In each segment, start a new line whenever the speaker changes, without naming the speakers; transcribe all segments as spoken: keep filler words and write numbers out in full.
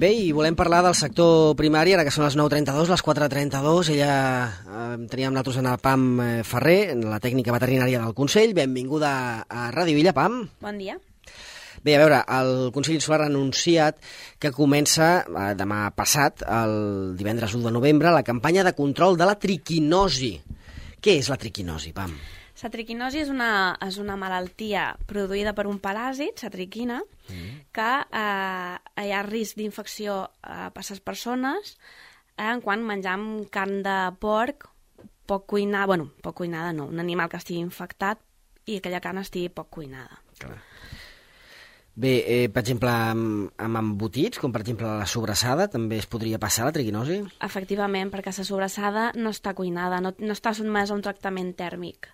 Bé, i volem parlar del sector primari, ara que són les nou trenta-dos, les quatre trenta-dos. Ella eh, teníem nosaltres en el Pam Ferrer, en la tècnica veterinària del Consell. Benvinguda a Ràdio Illa, Pam.
Bon dia.
Bé, a veure, el Consell Insular ha anunciat que comença eh, demà passat, el divendres u de novembre, la campanya de control de la triquinosi. Què és la triquinosi, Pam?
La triquinosi és una, és una malaltia produïda per un paràsit, la triquina, mm. que eh, hi ha risc d'infecció eh, per les persones eh, quan menjam carn de porc poc cuinada, bueno, poc cuinada no, un animal que estigui infectat i aquella carn estigui poc cuinada.
Clar. Bé, eh, per exemple, amb, amb embotits, com per exemple la sobrassada, també es podria passar la triquinosi?
Efectivament, perquè la sobrassada no està cuinada, no, no està sotmesa a un tractament tèrmic.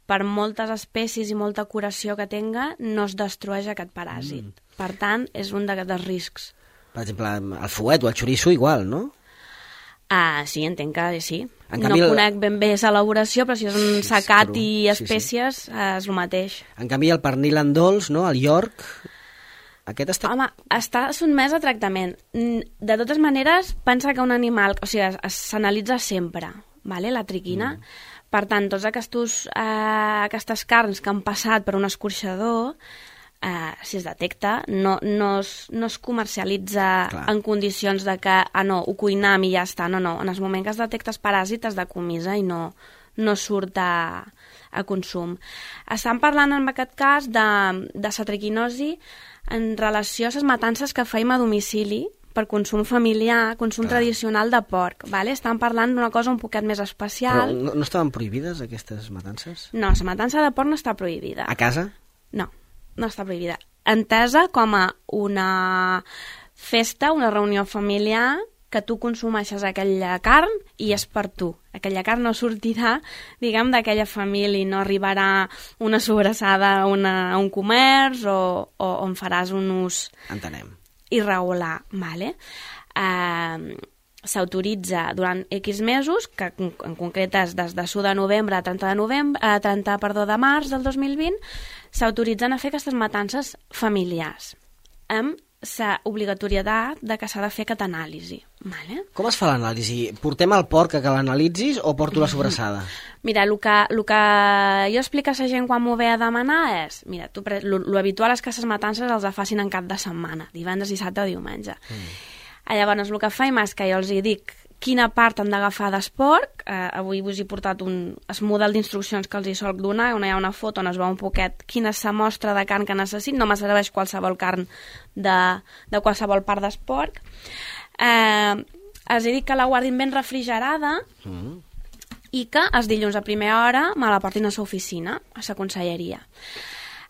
Per moltes espècies i molta curació que tenga, no es destrueix aquest paràsit. Mm. Per tant, és un dels riscs.
Per exemple, el fuet o el xoriço igual, no?
Ah, sí, entenc que sí.
En
no
canvi,
conec ben bé l'elaboració, però si és un secat
sí,
i espècies, sí, sí. Eh, és el mateix.
En canvi, el pernil en dolç, no? El York, aquest està...
Home, està sotmès a tractament. De totes maneres, pensa que un animal... O sigui, s'analitza sempre, vale? La triquina. Mm. Per tant, tots aquestos, eh, aquestes carns que han passat per un escorxador, eh, si es detecta, no, no, es, no es comercialitza Clar. En condicions de que, ah, no, ho cuinam i ja està. No, no, en el moment que es detecta el paràsit es decomissa i no, no surt a, a consum. Estan parlant en aquest cas de, de la triquinosi en relació a les matances que feim a domicili per consum familiar, consum Clar. Tradicional de porc. Vale? Estan parlant d'una cosa un poquet més especial.
Però no, no estaven prohibides aquestes matances?
No, la matança de porc no està prohibida.
A casa?
No, no està prohibida. Entesa com a una festa, una reunió familiar que tu consumeixes aquella carn i és per tu. Aquella carn no sortirà, diguem, d'aquella família, no arribarà una sobrassada a, una, a un comerç o, o on faràs un ús
Entenem.
Irregular. Vale? Eh, s'autoritza durant X mesos, que en concret és des de l'u de novembre a trenta de novembre, a trenta, perdó, de març del dos mil vint, s'autoritzen a fer aquestes matances familiars, amb la obligatorietat de que s'ha de fer aquesta anàlisi. Vale?
Com es fa l'anàlisi? Portem el porc a que l'analitzis o porto la sobrassada?
Mira, el que, el que jo explico a la gent quan m'ho ve a demanar és, mira, tu, lo habitual és que les matances els facin en cap de setmana, divendres, dissabte o diumenge. Mm. Llavors, el que faim és que jo els hi dic quina part han d'agafar d'esporc. Eh, avui us he portat un el model d'instruccions que els hi solc donar, on hi ha una foto on es veu un poquet quina és la mostra de carn que necessit, no me serveix qualsevol carn de, de qualsevol part d'esporc. Eh, els he dit que la guardin ben refrigerada mm. i que els dilluns a primera hora me la portin a l'oficina, a la conselleria.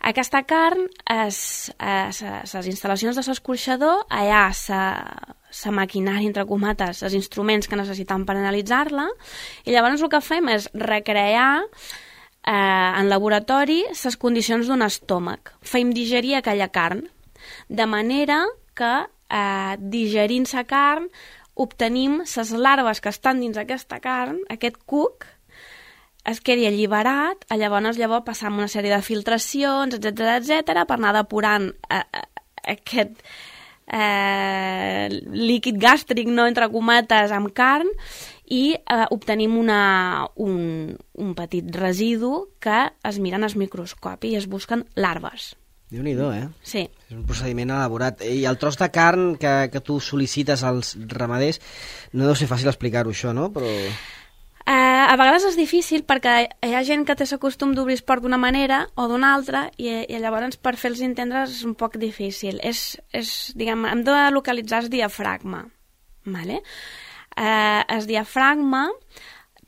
Aquesta carn, les instal·lacions de l'escorxador, allà la maquinària, entre comates, els instruments que necessitem per analitzar-la, i llavors el que fem és recrear eh, en laboratori les condicions d'un estómac. Fem digerir aquella carn, de manera que eh, digerint la carn obtenim les larves que estan dins aquesta carn, aquest cuc, es quedi alliberat, llavors llavors passam una sèrie de filtracions, etcètera, etcètera, per anar depurant eh, aquest eh, líquid gàstric, no, entre cometes, amb carn, i eh, obtenim una, un, un petit residu que es miren al microscopi i es busquen larves.
Déu-n'hi-do, eh?
Sí.
És un procediment elaborat. I el tros de carn que, que tu sol·licites als ramaders, no deu ser fàcil explicar-ho això, no? Però...
Eh, a vegades és difícil perquè hi ha gent que té el costum d'obrir esport d'una manera o d'una altra i, i llavors per fer-los entendre és un poc difícil. És, és, diguem, hem de localitzar el diafragma. Vale? Eh, el diafragma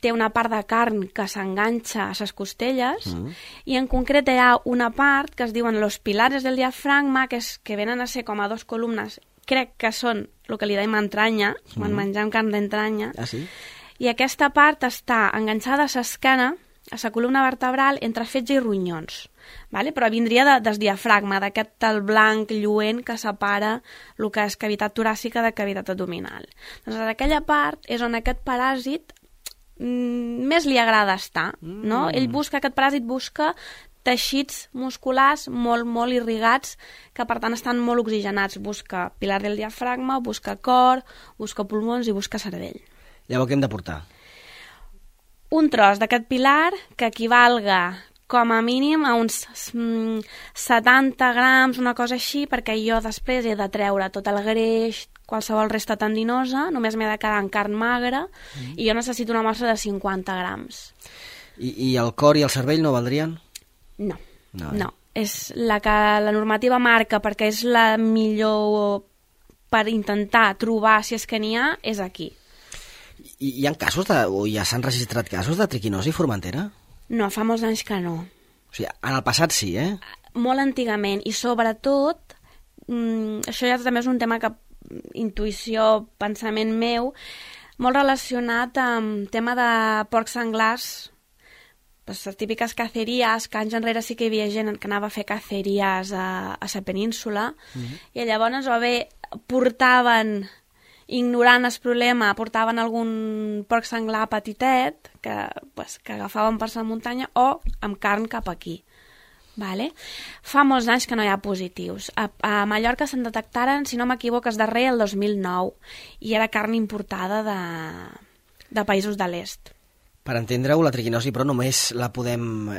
té una part de carn que s'enganxa a les costelles mm. i en concret hi ha una part que es diuen los pilares del diafragma que, és, que venen a ser com a dos columnes, crec que són el que li dèiem entranya, mm. quan mengem carn d'entranya.
Ah, sí?
I aquesta part està enganxada a l'esquena, a la columna vertebral, entre fetge i ronyons. Vale? Però vindria de, del diafragma, d'aquest tal blanc lluent que separa el que és cavitat toràcica de cavitat abdominal. Doncs aquella part és on aquest paràsit mm, més li agrada estar. No? Mm. Ell busca, aquest paràsit busca teixits musculars molt, molt irrigats, que per tant estan molt oxigenats. Busca pilar del diafragma, busca cor, busca pulmons i busca cervell.
Llavors què hem de portar?
Un tros d'aquest pilar que equivalga com a mínim a uns mm, setanta grams, una cosa així, perquè jo després he de treure tot el greix, qualsevol resta tendinosa, només m'he de quedar en carn magra, mm. i jo necessito una mostra de cinquanta grams.
I, I el cor i el cervell no valdrien?
No, no.
eh?
no. És la que la normativa marca, perquè és la millor per intentar trobar, si és que n'hi ha, és aquí.
I hi ha casos, de, o ja s'han registrat casos de triquinosi a Formentera?
No, fa molts anys que no.
O sigui, en el passat sí, eh?
Molt antigament, i sobretot, mmm, això ja també és un tema que, intuïció, pensament meu, molt relacionat amb tema de porcs senglars, pues, les típiques caceries, que anys enrere sí que hi havia gent que anava a fer caceries a, a la península, mm-hmm. i llavors o bé portaven, ignorant el problema, portaven algun porc senglar petitet que, pues, que agafaven per la muntanya o amb carn cap aquí. Vale? Fa molts anys que no hi ha positius. A, a Mallorca se'n detectaren, si no m'equivoco, es darrer el dos mil nou, i era carn importada de, de països de l'est.
Per entendre-ho, la triquinosi, però només la podem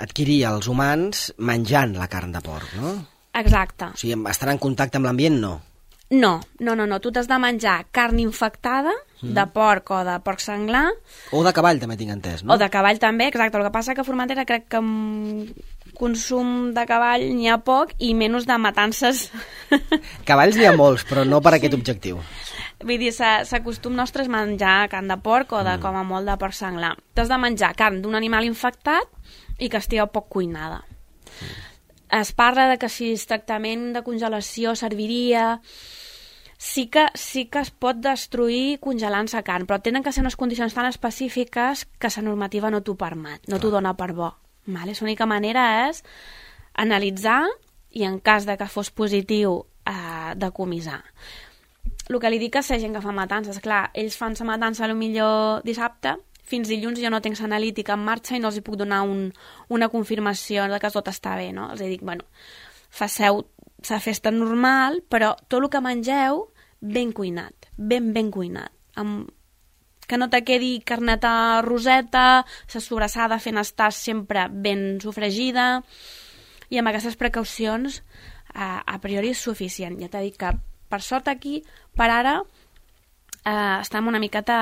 adquirir els humans menjant la carn de porc, no?
Exacte.
O sigui, estar en contacte amb l'ambient, no?
No, no, no, no. Tu t'has de menjar carn infectada, mm. de porc o de porc senglar.
O de cavall, també tinc entès, no?
O de cavall també, exacte. El que passa que a Formentera crec que amb consum de cavall n'hi ha poc i menys de matances.
Cavalls n'hi ha molts, però no per aquest objectiu.
Vull dir, l'acostum nostre és menjar carn de porc o de, mm. com a molt de porc senglar. T'has de menjar carn d'un animal infectat i que estigui poc cuinada. Mm. Es parla de que si el tractament de congelació serviria... Sí que, sí que es pot destruir congelant la carn, però tenen que ser unes condicions tan específiques que la normativa no t'ho permet, no t'ho dona per bo. Vale? L'única manera és analitzar i en cas de que fos positiu eh, decomissar. El que li dic a la gent que fa matances, clar, ells fan la matança potser dissabte, fins dilluns jo no tinc l'analítica en marxa i no els hi puc donar un, una confirmació de que tot està bé, no? Els dic, bueno, faceu la festa normal, però tot el que mengeu, ben cuinat, ben, ben cuinat. Amb... Que no te quedi carneta roseta, la sobrassada fent estar sempre ben sofregida, i amb aquestes precaucions a, a priori és suficient. Ja t'he dit que, per sort aquí, per ara, eh, estem una miqueta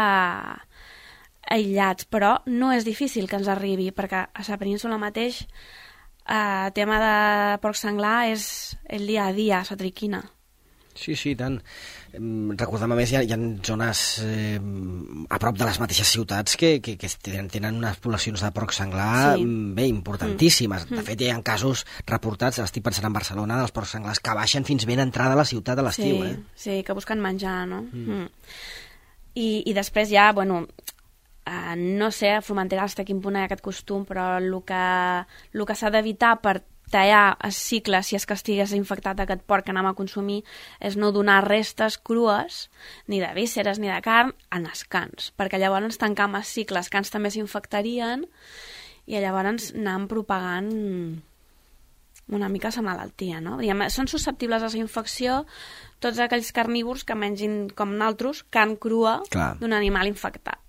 aïllats, però no és difícil que ens arribi, perquè a la península mateix el uh, tema de porc senglar és el dia a dia, la triquina.
Sí, sí, tant. Recordem, a més, hi ha, hi ha zones eh, a prop de les mateixes ciutats que, que, que tenen, tenen unes poblacions de porc senglar sí. bé importantíssimes. Mm. De fet, hi ha casos reportats, estic pensant en Barcelona, dels porcs senglars que baixen fins ben entrada a la ciutat a l'estiu.
Sí,
eh?
sí, que busquen menjar, no? Mm. Mm. I, I després ja, bueno... Uh, no sé a Formentera fins a quin punt hi ha aquest costum, però el que, el que s'ha d'evitar per tallar el cicle, si és que estigués infectat aquest porc que anem a consumir, és no donar restes crues, ni de vísceres ni de carn, en els cans, perquè llavors tancam el cicle, els cans també s'infectarien i llavors anem propagant una mica la malaltia, no? Diguem, són susceptibles a la infecció tots aquells carnívors que mengin, com nosaltres, carn crua d'un animal infectat.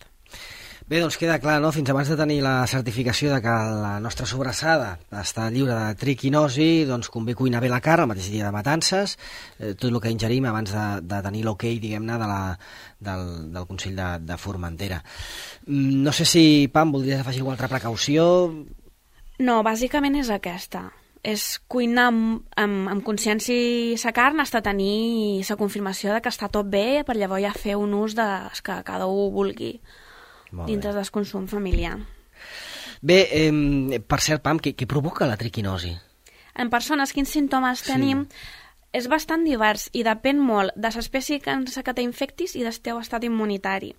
Bé, doncs queda clar, no?, fins abans de tenir la certificació de que la nostra sobrassada està lliure de triquinosi, doncs convé cuinar bé la carn el mateix dia de matances, eh, tot el que ingerim abans de, de tenir l'ok, diguem-ne, de la, del, del Consell de, de Formentera. No sé si, Pam, voldries afegir alguna altra precaució?
No, bàsicament és aquesta. És cuinar amb, amb, amb consciència la carn fins a tenir la confirmació de que està tot bé, per llavors ja fer un ús de, que cada un vulgui. Dintre del consum familiar.
Bé, eh, per cert, Pam, què, què provoca la triquinosi?
En persones, quins símptomes sí. tenim? És bastant divers i depèn molt de l'espècie que t'infectis i del teu estat immunitari.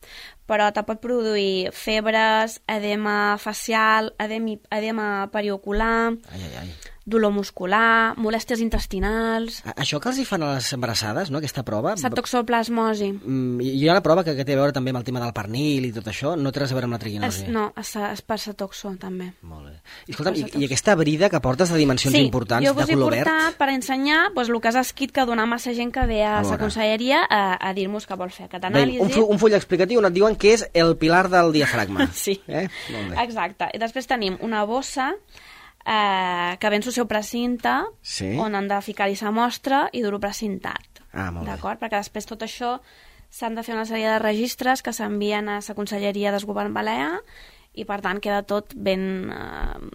Però te pot produir febres, edema facial, edema, edema periocular,
ai, ai, ai.
dolor muscular, molèsties intestinals...
Això que els hi fan a les embarassades, no?, aquesta prova...
Cetotoxoplasmosi.
Mm, hi ha una prova que, que té a veure també amb el tema del pernil i tot això, no té res a veure amb la triquinosi?
Es, no, és, és per cetoxo, també.
Molt bé. I, escolta'm, i, i aquesta brida que portes de dimensions
sí,
importants, de color verd...
Sí, jo vos he portat per ensenyar doncs, el que has escrit que dona massa gent que ve a, a la conselleria a, a dir-nos que vol fer aquest anàlisi.
Bé, un, full, un full explicatiu on et diuen que és el pilar del diafragma.
Sí,
eh? Molt bé.
Exacte. I després tenim una bossa eh, que ve en el seu precinte,
sí.
on han de ficar-hi sa mostra i dur-ho precintat.
Ah, molt bé.
D'acord? Perquè després tot això s'han de fer una sèrie de registres que s'envien a la Conselleria del Govern Balear i, per tant, queda tot ben eh,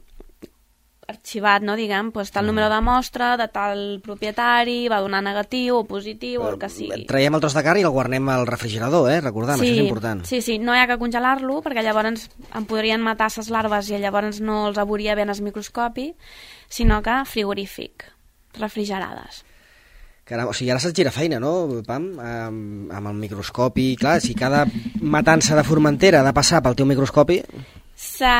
arxivat, no, diguem, doncs tal número de mostra, de tal propietari, va donar negatiu o positiu, o el que sigui.
Traiem el tros de carn i el guarnem al refrigerador, eh? Recordem,
sí,
això és important.
Sí, sí, no hi ha que congelar-lo, perquè llavors en podrien matar ses larves i llavors no els veuria bé en el microscopi, sinó que frigorífic, refrigerades.
Caram, o sigui, ara se't gira feina, no, Pam? Amb, amb el microscopi, clar, si cada matança de Formentera ha de passar pel teu microscopi...
Sa...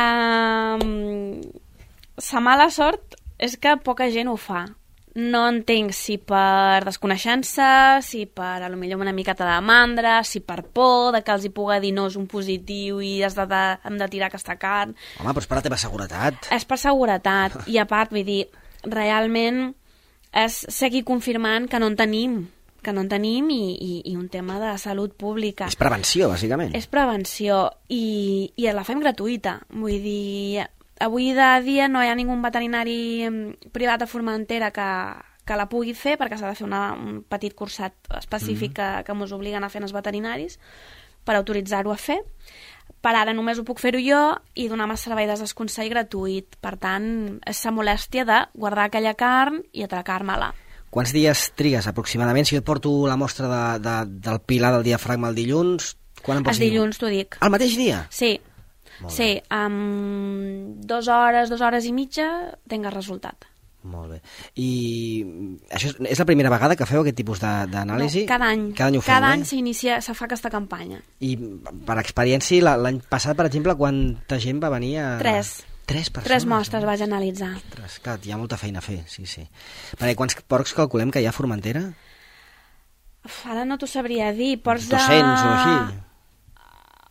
Sa mala sort és que poca gent ho fa. No entenc si per desconeixença, si per a lo millor una miqueta de mandra, si per por de que els hi puga dir no és un positiu i has de, de, hem de tirar aquesta carn.
Home, però és per la teva seguretat.
És per seguretat. I a part, vull dir, realment és seguir confirmant que no en tenim, que no en tenim i, i, i un tema de salut pública.
És prevenció, bàsicament.
És prevenció i, i la fem gratuïta. Vull dir... Avui de dia no hi ha ningú veterinari privat a Formentera que, que la pugui fer perquè s'ha de fer una, un petit cursat específic mm. que, que mos obliguen a fer els veterinaris per autoritzar-ho a fer. Per ara només ho puc fer-ho jo i donar-me servei de desconsell gratuït. Per tant, és la molèstia de guardar aquella carn i atracar-me-la.
Quants dies trigues aproximadament? Si jo et porto la mostra de, de, del pilar del diafragma el dilluns, quan em pots dir?
El dilluns, t'ho dic.
El mateix dia?
Sí. Sí, amb dues hores, dues hores i mitja tinc el resultat.
Molt bé. I això és, és la primera vegada que feu aquest tipus d'anàlisi?
No, cada any.
Cada any ho feu,
Cada
eh?
any s'inicia, se fa aquesta campanya.
I per experiència, l'any passat, per exemple, quanta gent va venir a...
Tres.
Tres persones?
Tres mostres vaig analitzar.
Ostres, clar, hi ha molta feina a fer, sí, sí. Perquè quants porcs calculem que hi ha a Formentera?
Uf, ara no t'ho sabria dir. Porcs de...
dos-cents o així?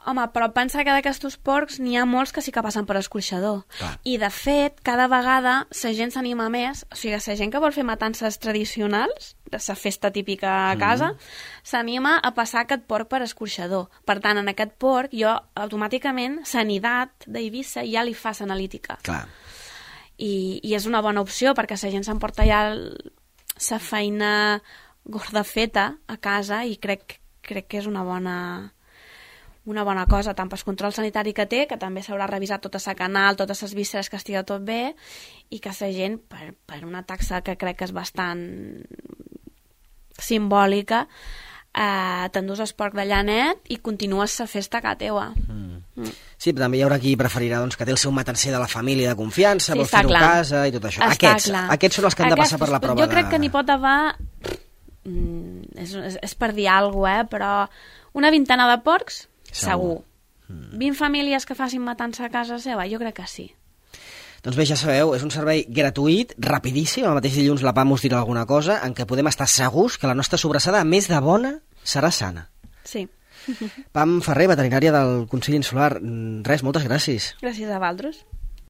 Home, però pensa que d'aquests porcs n'hi ha molts que sí que passen per escorxador.
Clar.
I, de fet, cada vegada la gent s'anima més, o sigui, la gent que vol fer matances tradicionals, de la festa típica a casa, mm. s'anima a passar aquest porc per escorxador. Per tant, en aquest porc, jo, automàticament, sanitat d'Eivissa ja li fa l'analítica.
Clar.
I, I és una bona opció, perquè la gent s'emporta ja la feina gorda feta a casa i crec, crec que és una bona... una bona cosa, tant pel control sanitari que té, que també s'haurà revisat tota la canal, totes les vísceres, que estigui tot bé, i que la gent, per, per una taxa que crec que és bastant simbòlica, eh, t'endús el porc d'allà net i continues la festa a casa teua. Mm.
Mm. Sí, però també hi haurà qui preferirà doncs, que té el seu matancer de la família de confiança,
sí,
vol fer-ho a casa i tot això. Aquests, aquests són els que han
Aquests,
de passar per la prova.
Jo crec
de...
que n'hi pot haver... Mm, és, és, és per dir alguna cosa, eh? Però una vintena de porcs, segur. Mm. vint famílies que facin matança a casa seva, jo crec que sí.
Doncs bé, ja sabeu, és un servei gratuït, rapidíssim, el mateix dilluns la Pam us dirà alguna cosa, en què podem estar segurs que la nostra sobrassada, a més de bona, serà sana.
Sí.
Pam Ferrer, veterinària del Consell Insular. Res, moltes gràcies.
Gràcies a vosaltres.